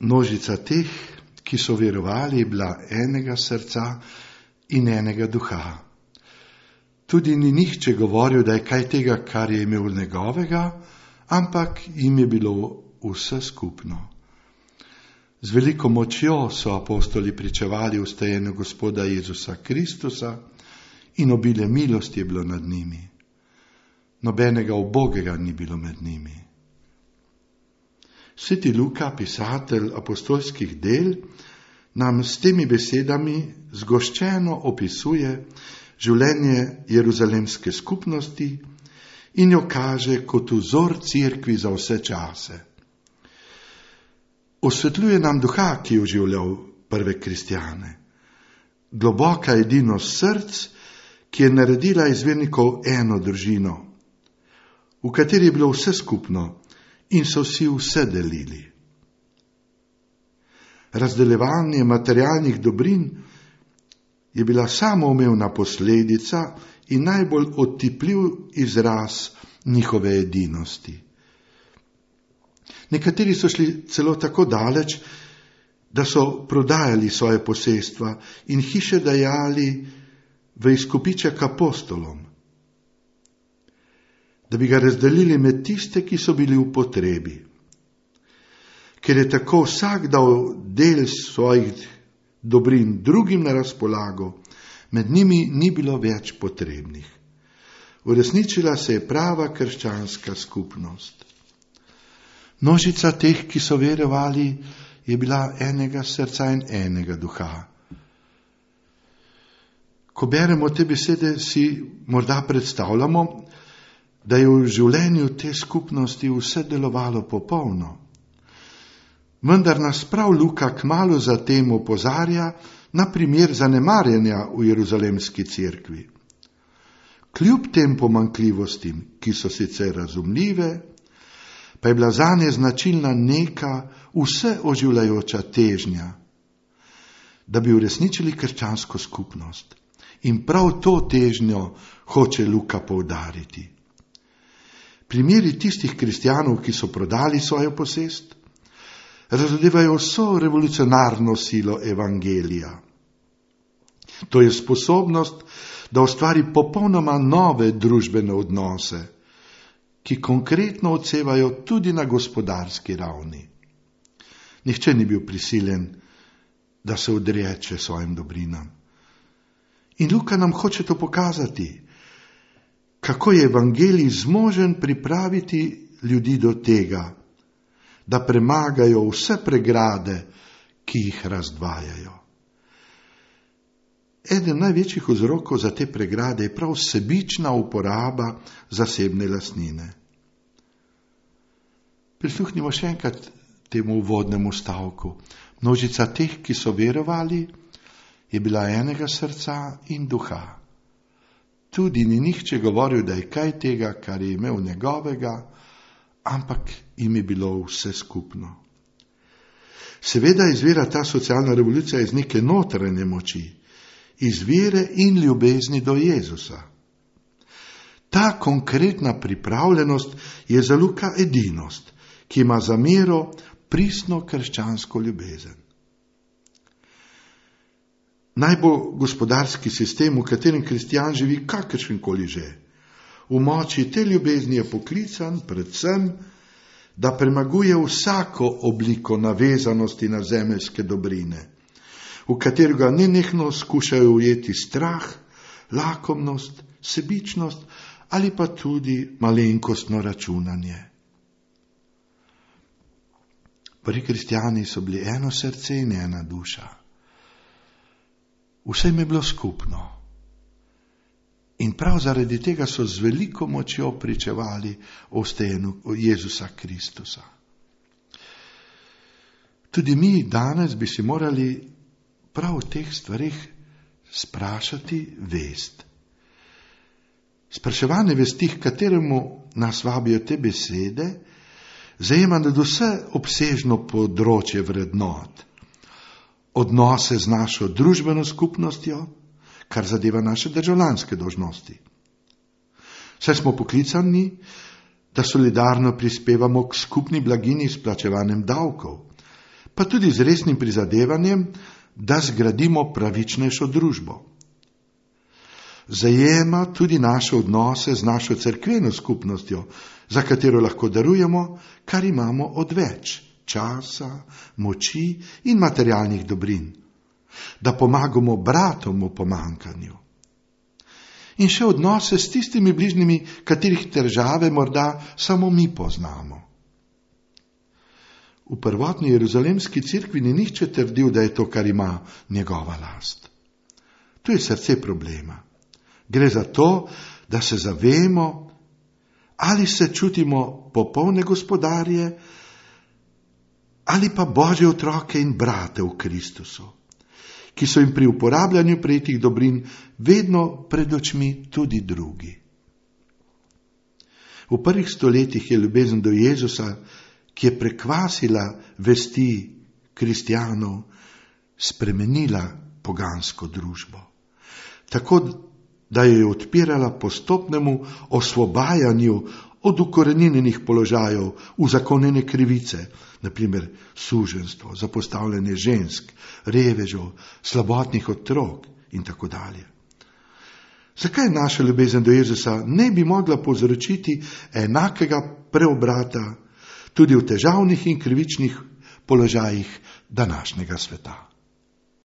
Množica teh, ki so verovali, je bila enega srca in enega duha. Tudi ni nihče govoril, da je kaj tega, kar je imel njegovega, ampak jim je bilo vse skupno. Z veliko močjo so apostoli pričevali vstajenju Gospoda Jezusa Kristusa in obilje milosti je bilo nad njimi. Nobenega ubogega ni bilo med njimi. Sveti Luka, pisatelj apostolskih del, nam s temi besedami zgoščeno opisuje življenje jeruzalemske skupnosti in jo kaže kot vzor cerkvi za vse čase. Osvetljuje nam duha, ki je oživljal prve kristjane. Globoka edinost src, ki je naredila iz vernikov eno družino, v kateri je bilo vse skupno in so si vse delili. Razdeljevanje materialnih dobrin je bila samoumevna posledica in najbolj otipljiv izraz njihove edinosti. Nekateri so šli celo tako daleč, da so prodajali svoje posestva in hiše dajali v izkupiček apostolom, da bi ga razdelili med tiste, ki so bili v potrebi. Ker je tako vsak dal del svojih dobrin drugim na razpolago, med njimi ni bilo več potrebnih. Uresničila se je prava krščanska skupnost. Množica teh, ki so verovali, je bila enega srca in enega duha. Ko beremo te besede, si morda predstavljamo, da je v življenju te skupnosti vse delovalo popolno. Vendar nas prav Luka kmalu zatem opozarja na primer zanemarjanja v jeruzalemski cerkvi. Kljub tem pomanjkljivostim, ki so sicer razumljive, pa je bila zanje značilna neka vse oživljajoča težnja, da bi uresničili krščansko skupnost. In prav to težnjo hoče Luka poudariti. Primeri tistih kristjanov, ki so prodali svojo posest, razdevajo vso revolucionarno silo evangelija. To je sposobnost, da ustvari popolnoma nove družbene odnose, ki konkretno odsevajo tudi na gospodarski ravni. Nihče ni bil prisiljen, da se odreče svojim dobrinam. In Luka nam hoče to pokazati, kako je evangelij zmožen pripraviti ljudi do tega, da premagajo vse pregrade, ki jih razdvajajo. Eden največjih vzrokov za te pregrade je prav sebična uporaba zasebne lastnine. Prisluhnimo še enkrat temu uvodnemu stavku. Množica teh, ki so verovali, je bila enega srca in duha. Tudi ni nihče govoril, da je kaj tega, kar je imel njegovega, ampak jim je bilo vse skupno. Seveda izvira ta socialna revolucija iz neke notranje moči, iz vere in ljubezni do Jezusa. Ta konkretna pripravljenost je za Luka edinost, ki ima za mero pristno krščansko ljubezen. Naj bo gospodarski sistem, v katerem kristjan živi kakršenkoli že. V moči te ljubezni je poklican predvsem, da premaguje vsako obliko navezanosti na zemeljske dobrine, v katerega nenehno skušajo ujeti strah, lakomnost, sebičnost ali pa tudi malenkostno računanje. Prvi kristjani so bili eno srce in ena duša. Vse jim je bilo skupno. In prav zaradi tega so z veliko močjo pričevali o vstajenju Jezusa Kristusa. Tudi mi danes bi si morali prav v teh stvarih sprašati vest. Spraševanje vesti, k kateremu nas vabijo te besede, zajema nadvse obsežno področje vrednot. Odnose z našo družbeno skupnostjo, kar zadeva naše državljanske dolžnosti. Saj smo poklicani, da solidarno prispevamo k skupni blagini s plačevanjem davkov, pa tudi z resnim prizadevanjem, da zgradimo pravičnejšo družbo. Zajema tudi naše odnose z našo cerkveno skupnostjo, za katero lahko darujemo, kar imamo odveč, časa, moči in materialnih dobrin, da pomagamo bratom v pomanjkanju. In še odnose s tistimi bližnjimi, katerih težave morda samo mi poznamo. V prvotni jeruzalemski cerkvi ni nihče trdil, da je to, kar ima, njegova last. To je srce problema. Gre za to, da se zavemo, ali se čutimo popolne gospodarje, ali pa Božje otroke in brate v Kristusu, ki so jim pri uporabljanju prejetih dobrin vedno pred očmi tudi drugi. V prvih stoletjih je ljubezen do Jezusa, ki je prekvasila vesti kristjanov, spremenila pogansko družbo. Tako, da jo je odpirala postopnemu osvobajanju od ukoreninjenih položajev, uzakonjene krivice, naprimer suženjstvo, zapostavljanje žensk, revežev, slabotnih otrok in tako dalje. Zakaj naša ljubezen do Jezusa ne bi mogla povzročiti enakega preobrata tudi v težavnih in krivičnih položajih današnjega sveta?